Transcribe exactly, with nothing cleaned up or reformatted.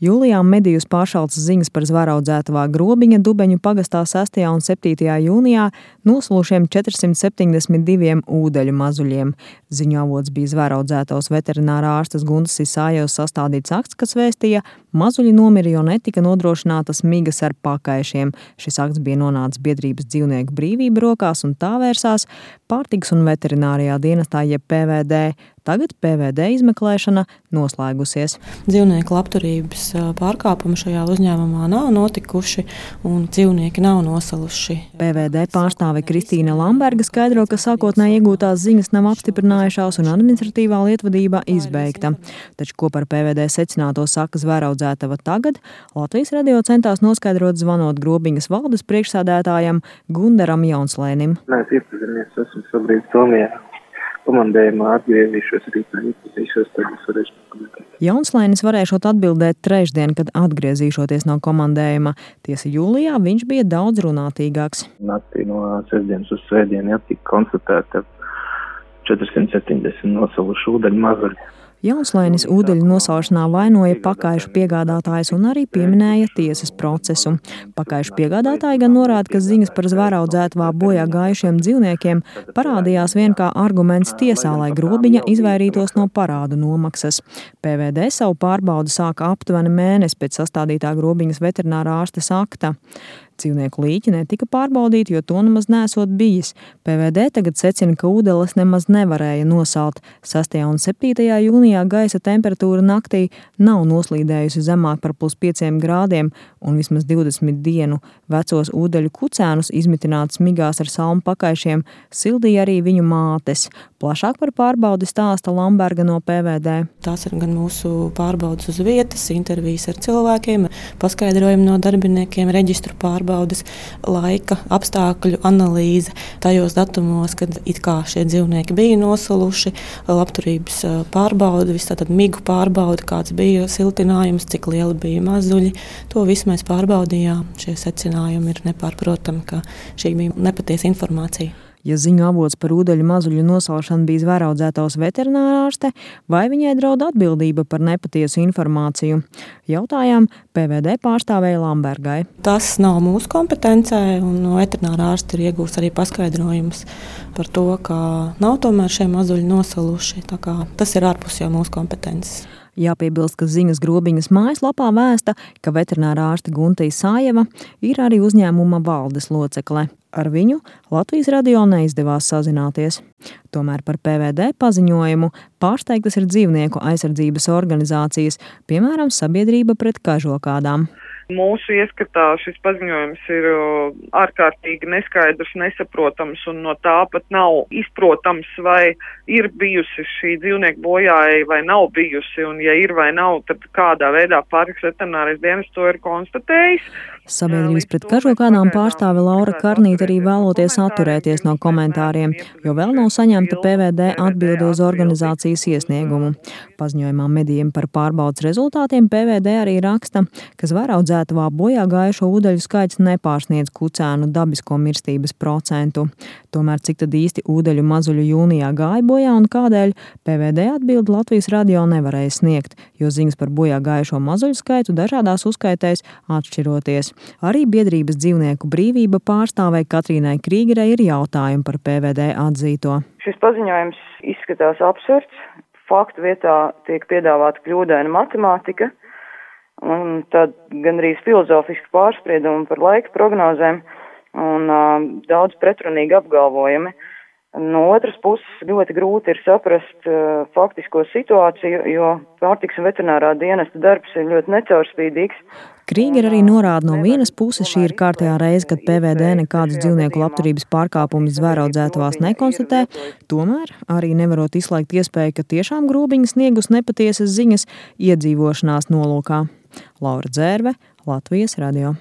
Jūlijā medijus pāršaltas ziņas par zvēraudzētavā Grobiņa Dubeņu pagastā sestajā un septītajā jūnijā noslūšiem četrsimt septiņdesmit diviem ūdeļu mazuļiem. Ziņu avots bija zvēraudzētavas veterinārā ārstes Guntas Isājevas sastādīts akts, kas vēstīja, mazuļi nomira, jo netika nodrošinātas migas ar pakaišiem. Šis akts bija nonācis biedrības dzīvnieku brīvība rokās un tā vērsās Pārtikas un veterinārijā dienestā jeb P V D. Tagad P V D izmeklēšana noslēgusies. Dzīvnieku labturības pārkāpumi šajā uzņēmumā nav notikuši un dzīvnieki nav nosaluši. P V D pārstāve Kristīna Lamberga skaidro, ka sākotnēji iegūtās ziņas nav apstiprinājušās un administratīvā lietvadība izbeigta. Taču, ko par P V D secināto saka zvēraudzētava tagad, Latvijas radio centās noskaidrot zvanot Grobiņas valdes priekšsēdētājam Gundaram Jaunslēnim. Mēs iepazīmies, esmu šobrīd Somijā. Komandējumā atgriezīšos rītā, iepazīšos, tad es varēšu pakomentēt. Jaunslēnis varēšot atbildēt trešdien, kad atgriezīšoties no komandējuma. Tiesa jūlijā viņš bija daudz runātīgāks. Naktī no sestdienas uz svētdienu tika konstatēta četrsimt septiņdesmit nosaluši ūdeņu mazuļi. Jaunslēnis ūdeļu nosalšanā vainoja pakaišu piegādātājus un arī pieminēja tiesas procesu. Pakaišu piegādātāji gan norāda, ka ziņas par zvēraudzētavā bojā gājušiem dzīvniekiem parādījās vien kā arguments tiesā, lai Grobiņa izvairītos no parādu nomaksas. P V D savu pārbaudi sāka aptuveni mēnesi pēc sastādītā Grobiņas veterinārā ārstes akta. Dzīvnieku līķi netika pārbaudīti, jo to nemaz nesot bijis. P V D tagad secina, ka ūdeles nemaz nevarēja nosalt. sestajā un septītajā jūnijā gaisa temperatūra naktī nav noslīdējusi zemāk par plus pieciem grādiem, un vismaz divdesmit dienu vecos ūdeļu kucēnus izmitinātus migās ar salmu pakaišiem sildīja arī viņu mātes. Plašāk par pārbaudi stāsta Lamberga no P V D. Tās ir gan mūsu pārbaudas uz vietas, intervijas ar cilvēkiem, paskaidrojumi no darbiniekiem, reģistru pārbaudas, laika apstākļu analīze tajos datumos, kad it kā šie dzīvnieki bija nosaluši, labturības pārbauda, viss tātad migu pārbauda, kāds bija siltinājums, cik lieli bija mazuļi. To visu mēs pārbaudījām. Šie secinājumi ir nepārprotami, ka šī bija nepatiesa informācija. Ja ziņu avots par ūdeļu mazuļu nosalšanu bija zvēraudzētavas veterinārārste, vai viņai draud atbildība par nepatiesu informāciju? Jautājām P V D pārstāvēja Lambergai. Tas nav mūsu kompetencē, un veterinārārste ir iegūst arī paskaidrojumus par to, ka nav tomēr šie mazuļi nosaluši. Tā kā tas ir ārpus jau mūsu kompetences. Jāpiebilst, ka ziņas Grobiņas mājaslapā vēsta, ka veterinārā ārste Gunta Isājeva ir arī uzņēmuma valdes locekle. Ar viņu Latvijas radio neizdevās sazināties. Tomēr par P V D paziņojumu pārsteigtas ir dzīvnieku aizsardzības organizācijas, piemēram, Sabiedrība pret kažokādām. Mūsu ieskatā šis paziņojums ir ārkārtīgi neskaidrs, nesaprotams un no tā pat nav izprotams, vai ir bijusi šī dzīvnieku bojāja vai nav bijusi, un ja ir vai nav, tad kādā veidā Pārtikas veterinārais dienests to ir konstatējis. Sabiedrības pret kažokādām pārstāve Laura Karnīte arī vēloties atturēties no komentāriem, jo vēl nav saņemta P V D atbilde uz organizācijas iesniegumu. Paziņojumā medijiem par pārbaudas rezultātiem P V D arī raksta, ka zvēraudzētavā bojā gājušo ūdeļu skaits nepārsniedz kucēnu dabisko mirstības procentu. Tomēr cik tad īsti ūdeļu mazuļu jūnijā gāja bojā un kādēļ, P V D atbildi Latvijas radio nevarēja sniegt, jo ziņas par bojā gājušo mazuļu skaitu dažādās uzskaitēs atšķiroties. Arī biedrības dzīvnieku brīvība pārstāvei Katrīnai Krīgerei ir jautājumi par P V D atzīto. Šis paziņojums izskatās absurds. Faktu vietā tiek piedāvāta kļūdaina matemātika, un tad gan arī filozofiski pārspriedumi par laika prognozēm un uh, daudz pretrunīgi apgalvojumi. No otras puses ļoti grūti ir saprast uh, faktisko situāciju, jo Pārtikas un veterinārā dienesta darbs ir ļoti necaurspīdīgs. Krīger arī norāda, no vienas puses šī ir kārtējā reize, kad P V D nekādus dzīvnieku labturības pārkāpumus zvēraudzētavās nekonstatē, tomēr arī nevarot izslēgt iespēju, ka tiešām Grobiņa sniegus nepatiesas ziņas iedzīvošanās nolūkā. Laura Dzērve, Latvijas radio.